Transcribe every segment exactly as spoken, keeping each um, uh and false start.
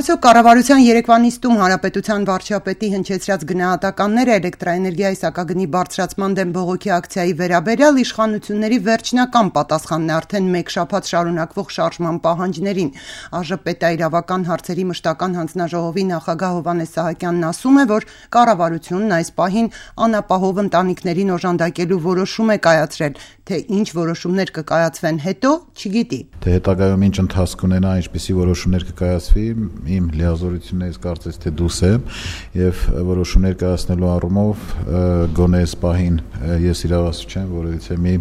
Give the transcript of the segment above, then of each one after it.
Այսօր կառավարության երեկվա նիստում հանրապետության վարչապետի հնչեցրած գնահատականները էլեկտրաէներգիայի սակագնի բարձրացման դեմ բողոքի ակցիայի վերաբերյալ իշխանությունների վերջնական պատասխանն է արդեն մեկ շաբաթ շարունակվող շարժման պահանջներին։ ԱԺՊետաիրավական հարցերի մշտական հանձնաժողովի նախագահ Հովհաննես Սահակյանն ասում է, որ կառավարությունն այս պահին անապահով ընտանիքներին օժանդակելու որոշում է կայացրել, թե ինչ որոշումներ կկայացվեն հետո, չգիտի։ Թե հետագայում ինչ ընթացք ունենա, ինչպիսի որոշումներ կկայացվի, իմ լիազորություններից կարծես թե դուրս եմ եւ որոշումներ կայացնելու առումով գոնե այս պահին ես իրավասու չեմ, որովհետեւ մի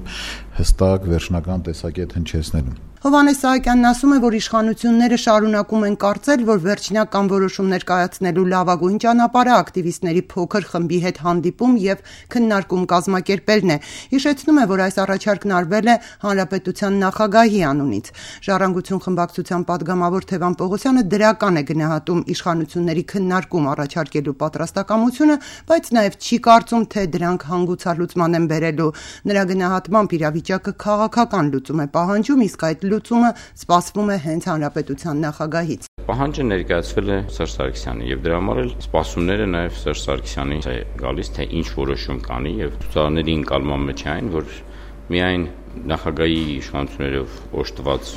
հստակ վերջնական տեսակետ հնչեցնելու։ Հովհաննես Սահակյանն ասում է, որ իշխանությունները շարունակում են կարծել, որ վերջնական որոշումներ կայացնելու լավագույն ճանապարհը ակտիվիստների փոքր խմբի հետ հանդիպում եւ քննարկում կազմակերպելն է։ Հիշեցնում է, որ այս առաջարկն արվել է հանրապետության նախագահի անունից։ Ժառանգություն խմբակցության падգամավոր Թևան Պողոսյանը դրական է գնահատում իշխանությունների քննարկում առաջարկելու պատրաստակամությունը, բայց նաեւ չի կարծում, թե դրանք հանգուցալուծման են բերելու։ Նրա գնահատմամբ իրավիճակը քաղաքական լուծում է պահանջում, իսկ այդ լուծումը սպասվում է հենց հանրապետության նախագահից։ Պահանջը ներկայացվել է Սերժ Սարգսյանին եւ դրա համար էլ սպասումները նաեւ Սերժ Սարգսյանի է գալիս, թե ինչ որոշում կանի եւ ցուցարարների ընկալման մեջ այն, որ միայն նախագահի իշխանություններով օժտված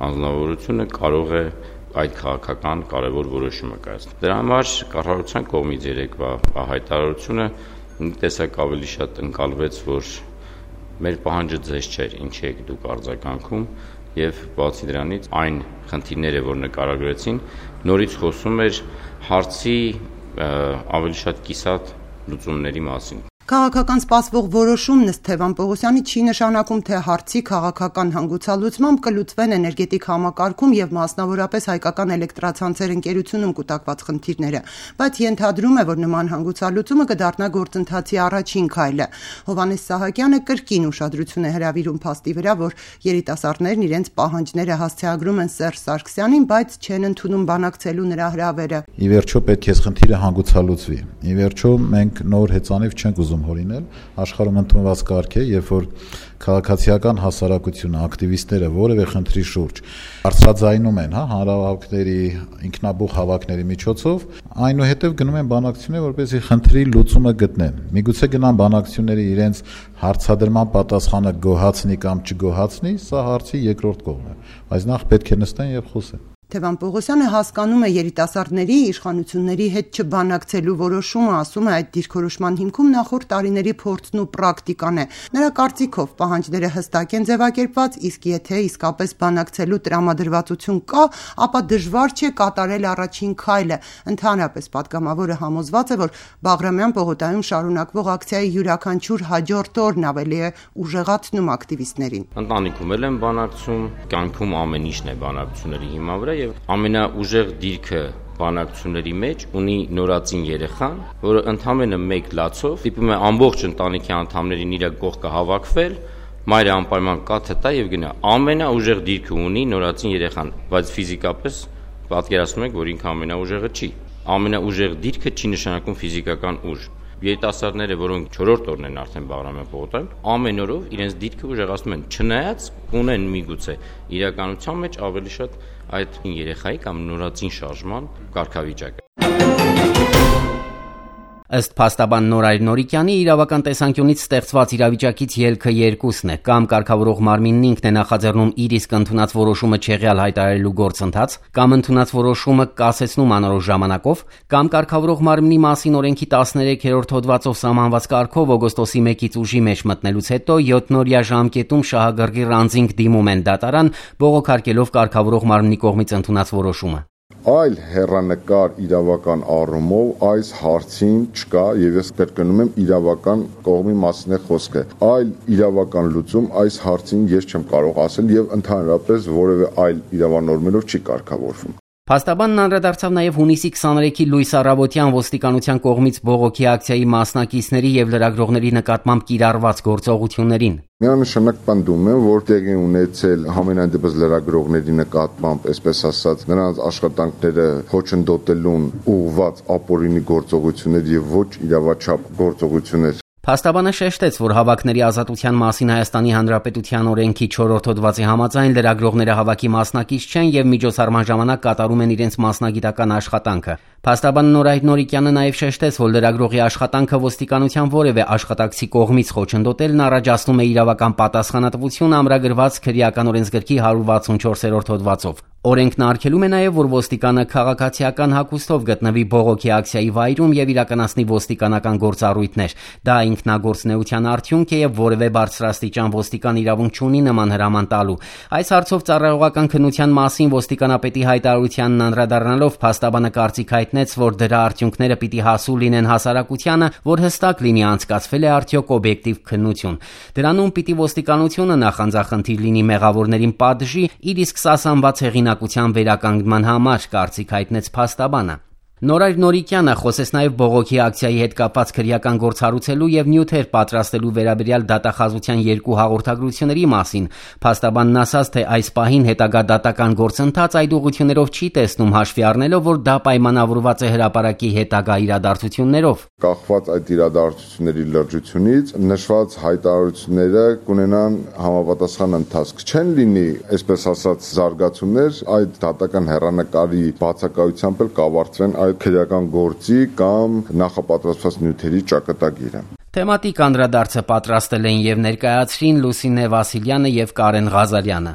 անձնավորությունը կարող է այդ քաղաքական կարևոր որոշումը կայացնել։ Դրա համար կառավարության կողմից երեկվա հայտարարությունը մի տեսակ ավելի շատ ընկալվեց, որ մեր պահանջը ձեզ չէր, ինչ եք դուք արձագանքում եւ բացի դրանից այն խնդիրները, որ նկարագրեցին, նորից խոսում էր հարցի ավելի շատ կիսատ լուծումների մասին։ Քաղաքական սպասվող որոշումն ըստ Թևան Պողոսյանի չի նշանակում, թե հարցի քաղաքական հանգուցալուծմամբ կլուծվեն էներգետիկ համակարգում եւ մասնավորապես հայկական էլեկտրացանցեր ընկերությունում կուտակված խնդիրները, բայց ենթադրում է, որ նման հանգուցալուծումը կդառնա գործընթացի առաջին քայլը։ Հովհաննես Սահակյանը կրկին ուշադրություն է հրավիրում փաստի վրա, որ երիտասարդներն իրենց պահանջները հասցեագրում են Սերժ Սարգսյանին, բայց չեն ընդունում բանակցելու նրա հրավերը։ Ի վերջո պետք է խնդիրը հանգուցալուծվի։ Ի վերջո մենք նոր հեծանիվ չենք ուզում հորինել, աշխարհում ընդունված կարգ է, երբ որ քաղաքացիական հասարակությունը, ակտիվիստները որևէ խնդրի շուրջ բարձրաձայնում են, հա, հանրահավաքների, ինքնաբուխ հավաքների միջոցով, այնուհետև գնում են բանակցություններ, որպեսզի խնդրի լուծումը գտնեն։ Միգուցե գնան բանակցությունները իրենց հարցադրման պատասխանը գոհացնի կամ չգոհացնի, սա հարցի երկրորդ կողմն է, բայց նախ պետք է նստեն եւ խոսեն։ Թևան Պողոսյանը հասկանում է երիտասարդների իշխանությունների հետ չբանակցելու որոշումը, ասում է, այդ դիրքորոշման հիմքում նախորդ տարիների փորձն ու պրակտիկան է։ Նրա կարծիքով պահանջները հստակ են ձևակերպված, իսկ եթե իսկապես բանակցելու տրամադրվածություն կա, ապա դժվար չէ կատարել առաջին քայլը։ Ընդհանրապես падգամավորը համոզված է, որ Բաղրամյան պողոտայում շարունակվող ակցիայի յուրաքանչյուր հաջորդ օրն ավելի է ուժեղացնում ակտիվիստներին։ Ընտանիքում էլ են բանակցում, կյանքում ամեն ինչն է բանակցությունների հիման վրա եւ ամենաուժեղ դիրքը բանակցությունների մեջ ունի նորածին երեխան, որը ընդամենը մեկ լացով դիպում է ամբողջ ընտանիքի անդամներին իր կողքը հավաքվել, մայրը անպայման կաթը տա եւ գնա։ Ամենաուժեղ դիրքը ունի նորածին երեխան, բայց ֆիզիկապես պատկերացնում եք, որ ինքը ամենաուժեղը չի։ Ամենաուժեղ դիրքը չի նշանակում ֆիզիկական ուժ։ Երիտասարդները, որոնք չորրորդ օրն են արդեն Բաղրամյան պողոտայում, ամեն օրով իրենց դիրքը ուժեղացնում են, չնայած ունեն միգուցե իրականության մեջ ավելի շատ այդ երեխայի կամ նորածին շարժման կարգավիճակը։ Ըստ փաստաբան Նորայր Նորիկյանի, իրավական տեսանկյունից ստեղծված իրավիճակից ելքը երկուսն է. կամ կարգավորող մարմինն ինքն է նախաձեռնում իր իսկ ընդունած որոշումը չեղյալ հայտարարելու գործընթաց, կամ ընդունած որոշումը կասեցնում անորոշ ժամանակով, կամ կարգավորող մարմնի մասին օրենքի տասներեքերորդ հոդվածով սահմանված կարգով օգոստոսի մեկից ուժի մեջ մտնելուց հետո յոթնօրյա ժամկետում շահագրգիռ անձինք դիմում են դատարան, բողոքարկելով կարգավորող մարմնի կողմից ընդունած որոշումը։ Այլ հեռանկար իրավական առումով այս հարցին չկա եւ ես կրկնում եմ իրավական կողմի մասին է խոսքը։ Այլ իրավական լուծում այս հարցին ես չեմ կարող ասել եւ ընդհանրապես որևէ այլ իրավանորմերով չի կարգավորվում։ Փաստաբանն անդրադարձավ նաև հունիսի քսաներեքի Լույս Առավոտյան ոստիկանության կողմից բողոքի ակցիայի մասնակիցների եւ լրագրողների նկատմամբ կիրառված գործողություններին։ Միանշանակ պնդում եմ, որ տեղի ունեցել համենայն դեպս լրագրողների նկատմամբ, այսպես ասած, նրանց աշխատանքները խոչընդոտելուն ուղղված ապօրինի գործողություններ եւ ոչ իրավաչափ գործողություններ։ Փաստաբանը շեշտեց, որ հավաքների ազատության մասին Հայաստանի Հանրապետության օրենքի չորրորդ հոդվածի համաձայն լրագրողները հավաքի մասնակից չեն եւ միջոցառման ժամանակ կատարում են իրենց մասնագիտական աշխատանքը։ Փաստաբան Նորայր Նորիկյանը նաև շեշտեց, որ լրագրողի աշխատանքը ոստիկանության որևէ աշխատակցի կողմից խոչընդոտելն առաջացնում է իրավական պատասխանատվություն ամրագրված քրեական օրենսգրքի հարյուր վաթսունչորսերորդ հոդվածով։ Օրենքն արգելում է նաև, որ ոստիկանը քաղաքացիական հագուստով գտնվի բողոքի ակցիայի վայրում եւ իրականացնի ոստիկանական գործառույթներ։ Դա ինքնագործունեության արդյունք է եւ որևէ բարձրաստիճան ոստիկան իրավունք չունի նման հրաման տալու։ Այս հարցով ծառայողական քննության մասին ոստիկանապետի հայտարարությանն անդրադառնալով փաստաբանը կարծիք հայտնեց, որ դրա արդյունքները պիտի հասու լինեն հասարակությանը, որ հստակ լինի անցկացվել է արդյոք օբյեկտիվ քննություն։ Դրանում պիտի ոստիկանությունը նախանձախնդիր լինի մեղավորներին պատժի, իր իսկ սասանված հեղինակության վերականգնման համար, կարծիք հայտնեց փաստաբանը։ Նորայր Նորիկյանը խոսեց նաև բողոքի ակցիայի հետ կապված քրեական գործ հարուցելու եւ նյութեր պատրաստելու վերաբերյալ դատախազության երկու հաղորդագրությունների մասին։ Փաստաբանն ասաց, թե այս պահին հետագա դատական գործընթաց այդ ուղղություններով չի տեսնում, հաշվի առնելով, որ դա պայմանավորված է հրապարակի հետագա իրադարձություններով։ Կախված այդ իրադարձությունների լրջությունից նշված հայտարարությունները կունենան համապատասխան ընթացք։ Չեն լինի, այսպես ասած, զարգացումներ, այդ դատական հեռանկարի բացակայությամբ էլ կավարտվեն այդ քրեական գործի կամ նախապատրաստված նյութերի ճակատագիրը։ Թեմատիկ անդրադարձը պատրաստել են եւ ներկայացրին Լուսինե Վասիլյանը եւ Կարեն Ղազարյանը։